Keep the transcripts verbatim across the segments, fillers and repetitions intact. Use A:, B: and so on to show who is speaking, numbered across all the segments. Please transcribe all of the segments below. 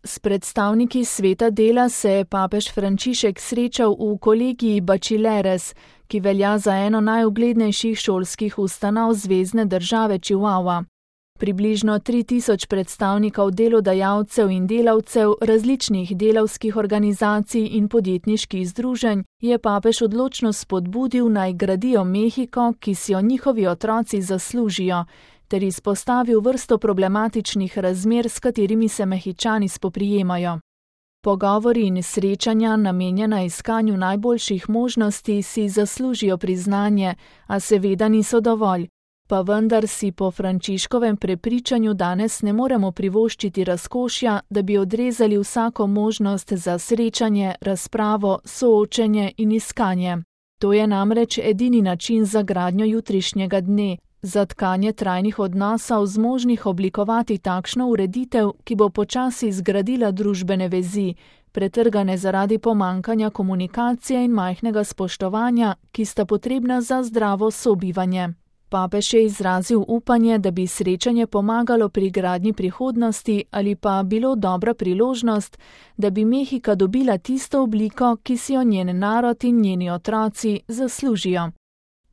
A: S predstavniki sveta dela se je papež Frančišek srečal v kolegiji Bachelores, ki velja za eno najuglednejših šolskih ustanov zvezne države Chihuahua. Približno tri tisoč predstavnikov delodajalcev in delavcev različnih delavskih organizacij in podjetniških združenj je papež odločno spodbudil, naj gradijo Mehiko, ki si jo njihovi otroci zaslužijo, ter izpostavil vrsto problematičnih razmer, s katerimi se Mehičani spoprijemajo. Pogovori in srečanja, namenjena iskanju najboljših možnosti, si zaslužijo priznanje, a seveda niso dovolj. Pa vendar si po Frančiškovem prepričanju danes ne moremo privoščiti razkošja, da bi odrezali vsako možnost za srečanje, razpravo, soočenje in iskanje. To je namreč edini način za gradnjo jutrišnjega dne, za tkanje trajnih odnosov zmožnih oblikovati takšno ureditev, ki bo počasi zgradila družbene vezi, pretrgane zaradi pomankanja komunikacije in majhnega spoštovanja, ki sta potrebna za zdravo sobivanje. Papež je izrazil upanje, da bi srečanje pomagalo pri gradnji prihodnosti ali pa bilo dobra priložnost, da bi Mehika dobila tisto obliko, ki si jo njen narod in njeni otroci zaslužijo.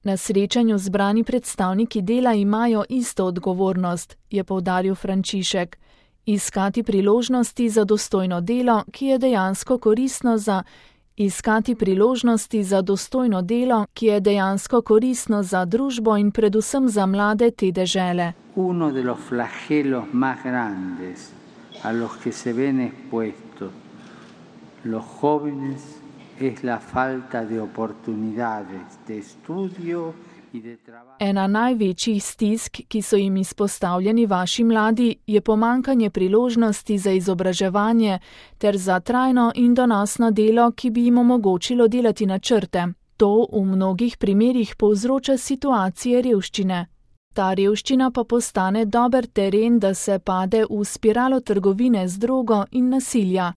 A: Na srečanju zbrani predstavniki dela imajo isto odgovornost, je poudaril Frančišek. Iskati priložnosti za dostojno delo, ki je dejansko koristno za Iskati priložnosti za dostojno delo, ki je dejansko koristno za družbo in predvsem za mlade te dežele.
B: Uno de los flagelos más grandes a los que se ven expuestos los jóvenes es la falta de oportunidades de estudio y de trabajo.
A: Ena največjih stisk, ki so jim izpostavljeni vaši mladi, je pomankanje priložnosti za izobraževanje ter za trajno in donosno delo, ki bi jim omogočilo delati načrte. To v mnogih primerih povzroča situacije revščine. Ta revščina pa postane dober teren, da se pade v spiralo trgovine z drogo in nasilja.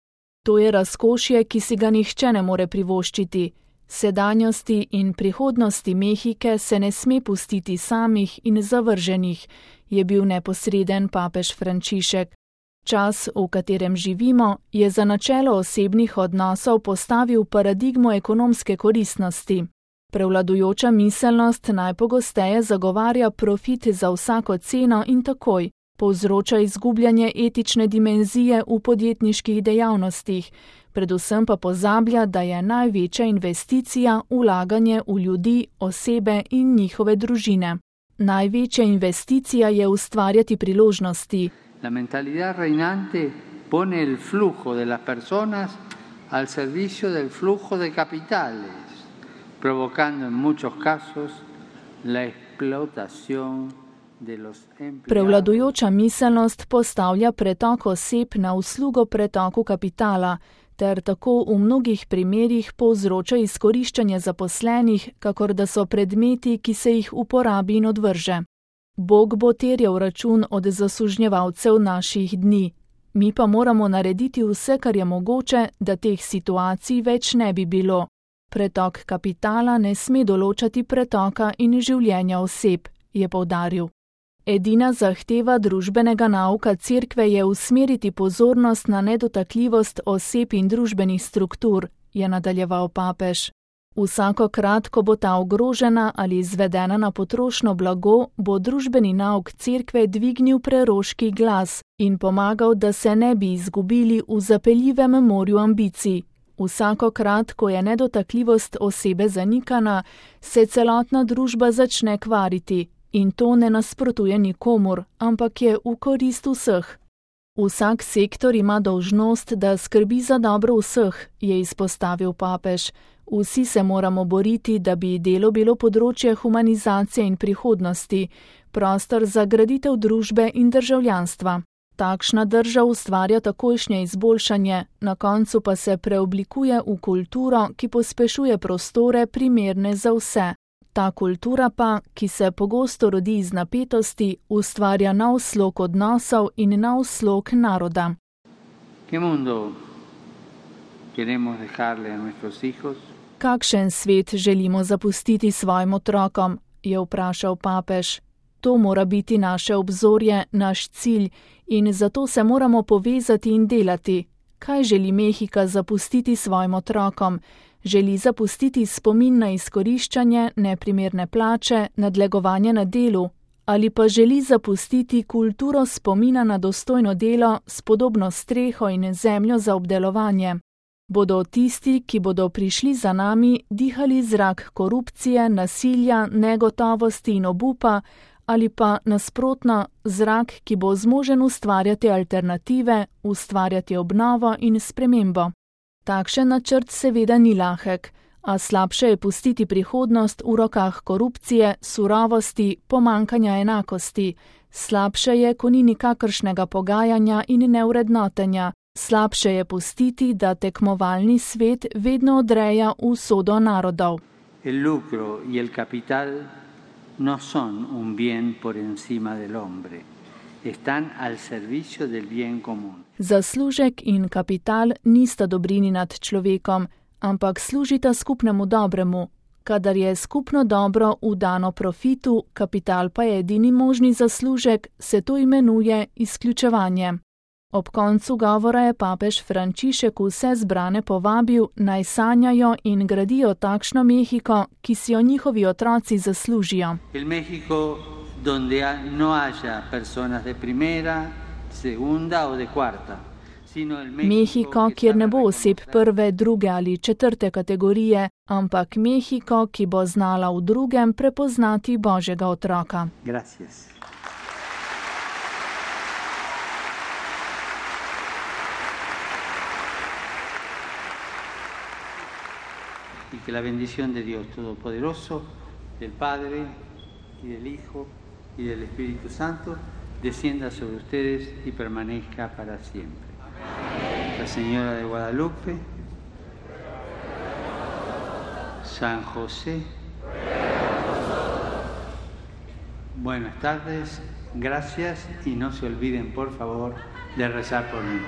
A: To je razkošje, ki si ga nihče ne more privoščiti. Sedanjosti in prihodnosti Mehike se ne sme pustiti samih in zavrženih, je bil neposreden papež Frančišek. Čas, v katerem živimo, je za načelo osebnih odnosov postavil paradigmo ekonomske koristnosti. Prevladujoča miselnost najpogosteje zagovarja profit za vsako ceno in takoj, povzroča izgubljanje etične dimenzije v podjetniških dejavnostih, predvsem pa pozablja, da je največja investicija vlaganje v ljudi, osebe in njihove družine. Največja investicija je ustvarjati priložnosti.
B: La mentalidad reinante pone el flujo de las personas al servicio del flujo de capitales, provocando en muchos casos la explotación de los empleados.
A: Prevladujoča miselnost postavlja pretok oseb na uslugo pretoku kapitala, ter tako v mnogih primerih povzroča izkoriščanje zaposlenih, kakor da so predmeti, ki se jih uporabi in odvrže. Bog bo terjal račun od zasužnjevalcev naših dni. Mi pa moramo narediti vse, kar je mogoče, da teh situacij več ne bi bilo. Pretok kapitala ne sme določati pretoka in življenja oseb, je poudaril. Edina zahteva družbenega nauka cerkve je usmeriti pozornost na nedotakljivost oseb in družbenih struktur, je nadaljeval papež. Vsakokrat, ko bo ta ogrožena ali izvedena na potrošno blago, bo družbeni nauk cerkve dvignil preroški glas in pomagal, da se ne bi izgubili v zapeljivem morju ambicij. Vsakokrat, ko je nedotakljivost osebe zanikana, se celotna družba začne kvariti. In to ne nasprotuje nikomur, ampak je v korist vseh. Vsak sektor ima dolžnost, da skrbi za dobro vseh, je izpostavil papež. Vsi se moramo boriti, da bi delo bilo področje humanizacije in prihodnosti, prostor za graditev družbe in državljanstva. Takšna drža ustvarja takojšnje izboljšanje, na koncu pa se preoblikuje v kulturo, ki pospešuje prostore primerne za vse. Ta kultura pa, ki se pogosto rodi iz napetosti, ustvarja nov slog odnosov in nov slog naroda. Kakšen svet želimo zapustiti svojim otrokom, je vprašal papež. To mora biti naše obzorje, naš cilj in zato se moramo povezati in delati. Kaj želi Mehika zapustiti svojim otrokom? Želi zapustiti spomin na izkoriščanje, neprimerne plače, nadlegovanje na delu, ali pa želi zapustiti kulturo spomina na dostojno delo, spodobno streho in zemljo za obdelovanje. Bodo tisti, ki bodo prišli za nami, dihali zrak korupcije, nasilja, negotovosti in obupa, ali pa nasprotno zrak, ki bo zmožen ustvarjati alternative, ustvarjati obnovo in spremembo. Takšen načrt seveda ni lahek, a slabše je pustiti prihodnost v rokah korupcije, surovosti, pomankanja enakosti. Slabše je, ko ni nikakršnega pogajanja in nevrednotenja. Slabše je pustiti, da tekmovalni svet vedno odreja usodo narodov.
B: El lucro y el capital no son un bien por encima del hombre. Están al servicio del bien común.
A: Zaslužek in kapital nista dobrini nad človekom, ampak služita skupnemu dobremu. Kadar je skupno dobro vdano profitu, kapital pa je edini možni zaslužek, se to imenuje izključevanje. Ob koncu govora je papež Frančišek vse zbrane povabil, naj sanjajo in gradijo takšno Mehiko, ki si jo njihovi otroci zaslužijo.
B: El México donde no haya personas de primera, segunda o de cuarta.
A: Mehiko, kjer ne bo oseb prve, druge ali četrte kategorije, ampak Mehiko, ki bo znala v drugem prepoznati Božjega otroka.
B: Gracias. Y que la bendición de Dios Todopoderoso, del Padre y del Hijo y del Espíritu Santo, descienda sobre ustedes y permanezca para siempre. La Señora de Guadalupe, San José, buenas tardes, gracias y no se olviden por favor de rezar por mí.